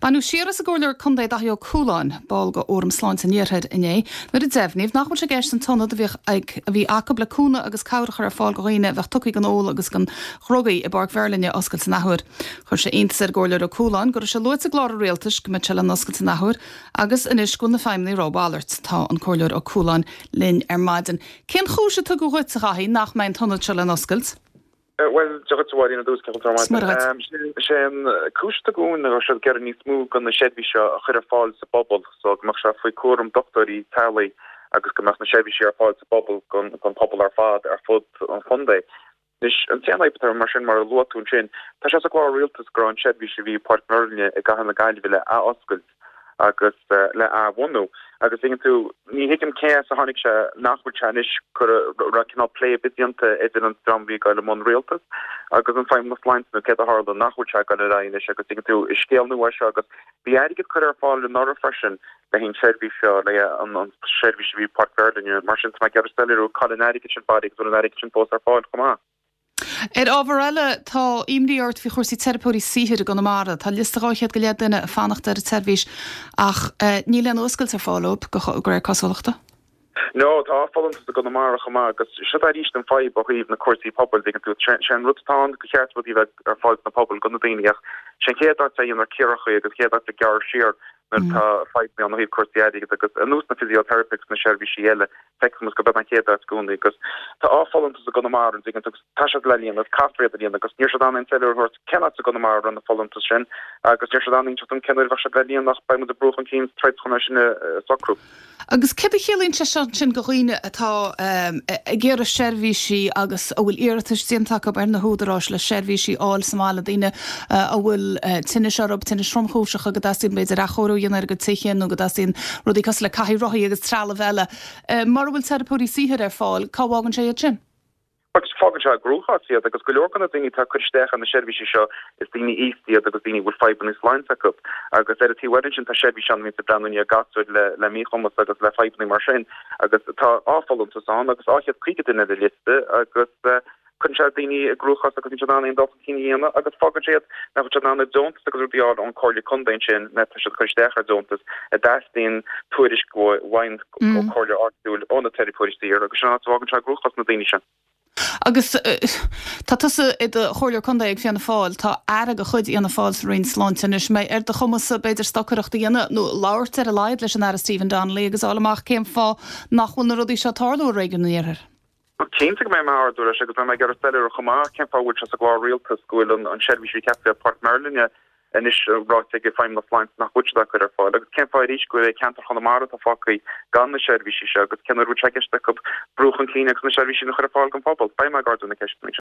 Baineadh siar as an gComhairleoir Contae Daithí Ó Cualáin, ball de Fhóram Sláinte an Iarthair, inné nuair a deimhníodh nach bhfuil sé i gceist an t-ionad a bhíodh ag a bhí acu le cúnamh agus cabhair a chur ar fáil do dhaoine a bheadh tugtha don ól agus don dhrugaí i bPáirc Mheirlinne a oscailt an athuair. Chuir sé iontas ar an gComhairleoir Ó Cualáin go raibh sé luaite i gclár an Rialtais go mbeadh sé le n-oscailt an athuair agus anois go bhfuil na feidhmeannaigh ag rá a mhalairt. Tá an Comhairleoir Ó Cualáin linn ar maidin. Cén chúis a tugadh dhuit, a Dhaithí, nach mbeidh an t-ionad seo le n-oscailt? Bhuel, Dia dhuit a Mháirín ar dtús, cén chaoi a bhfuil tú ar maidin? Sé an cúis a tugadh dúinn ná go raibh siad ag iarraidh níos mó de na seirbhísí seo a chur ar fáil sa bpobal so go mbeadh sé faoi cúram dochtúirí teaghlaigh agus go mbeadh na seirbhísí ar fáil sa bpobal don phobal ar fad ar fud an chontae. Anois, an t-aon fhadhb atá mar sin, mar a luaigh tú ansin, tá sé sa gclár rialtais go raibh an tseirbhís a bhí i bPáirc Mheirlinne i gCathair na Gaillimhe le athoscailt agus le athbhunú. Agus tuigeann tú, ní thuigim cé as a tháinig sé nach bhfuil sé anois, go raibh cineál plé ar bith déanta idir an dream a bhí ag dul i mbun rialtas agus an Feidhmeannas Sláinte nó céard a tharla nach bhfuil sé ag dul ar aghaidh anois agus tuigeann tú, is scéal nua é seo agus bhí airgead curtha ar fáil anuraidh freisin le haghaidh an tseirbhís seo, le haghaidh an tseirbhís a bhí i bPáirc Mheirlinne. Mar sin, tá mé ag iarraidh soiléiriú cá bhfuil an airgead sin bailithe agus an bhfuil an airgead sin fós ar fáil chomh maith. Ar ábhar eile, tá imní ort faoi chúrsaí teiripeoirí saothair i gConamara. Tá liosta 200 go leith duine ag fanacht ar an tseirbhís ach níl aon fhuascailt ar fáil dóibh, de réir cosúlachta. No, tá folúntas i gConamara chomh maith agus seo arís an fadhb ó thaobh na cúrsaí pobail, dtuigeann tú. Sé an rud atá ann, go cheart rudaí a bheith ar fáil sna pobail do na daoine ach sé an chéad áit a dhéantar ciorruithe agus an chéad áit a gearrar siar nuair atá fadhbanna ann ó thaobh cúrsaí airgid agus ar nós na physiotherapists agus na seirbhísí eile, feicfidh muid go b'in an chéad áit i gcónaí agus tá folúntas i gConamara, an dtuigeann tú, agus tá siad le líonadh, caithfear iad a líonadh agus níl siad in ann aon soiléiriú a thabhairt cén áit i gConamara a raibh na folúntais sin agus níl siad in ann inseacht dom cén uair a bheadh siad le líonadh ach beidh muid ag brú chun cinn troid chun é sin a socrú. Agus céard a chiallaíonn sé seo ansin do dhaoine atá ag iarraidh seirbhísí agus a bhfuil iarratais déanta acu ar na húdaráis le seirbhísí a fháil sa mbaile, daoine a bhfuil tinnis orthu, tinnis thromchúiseacha, go dteastaíonn b'fhéidir athchóiriú a dhéanamh ar a gcuid tithe nó go dteastaíonn rudaí cosúil le cathaoir rothaí agus trealamh eile. Mura bhfuil teiripeoirí saothair ar fáil, cá bhfágann sé iad sin? Agus fágann sé i gcruachás iad, agus go leor de na daoine atá ag cur isteach ar na seirbhísí seo, is daoine aosta iad agus daoine a bhfuil fadhbanna sláinte acu. Agus ar an taobh eile ansin, tá seirbhísí ann a bhíonns ag breathnú i ndiaidh gasúir le le míchumas agus le fadhbanna mar sin. Agus tá folúntas ann agus 250 duine ar an liosta agus cuireann sé daoine i gcruachás agus níl siad in ann aon dul chun cinn a dhéanamh agus fágann sé iad nach bhfuil siad in ann a deontas agus rudaí a fháil ón Comhairle Contae ansin má tá siad ag cur isteach ar deontas a dteastaíonn tuairisc uaidh ó Comhairle áitiúil ó na teiripeoirí saothair agus sin an áit a bhfágann sé i gcruachás na daoine sin. Agus tá tusa i do Chomhairleoir Contae ag Fianna Fáil, tá Aire de chuid Fhianna Fáil sa Roinn Sláinte anois, an mbeidh ar do chumas-sa b'fhéidir stocaireacht a dhéanamh nó labhairt ar a laghad leis an Aire Stephen Donnelly agus fháil amach cén fáth nach bhfuil na rudaí seo ag tarlú i réigiún an Iarthair? Cinnte go mbeidh mé ag ardú leis agus beidh mé ag iarraidh soiléiriú chomh maith cén fáth a bhfuil sé sa gclár rialtais go bhfuil an seirbhís a bhí ceaptha i Páirc Mheirlinne anois ráite ag Feidhmeannas Sláinte nach bhfuil siad á cur ar fáil agus cén fáth arís go bhfuil ceantar Chonamara atá fágtha gan na seirbhísí seo agus cén uair a bhfuil sé i gceist acu brú chun cinn agus na seirbhísí a chur ar fáil don phobal. Beidh mé ag ardú na ceisteanna sin.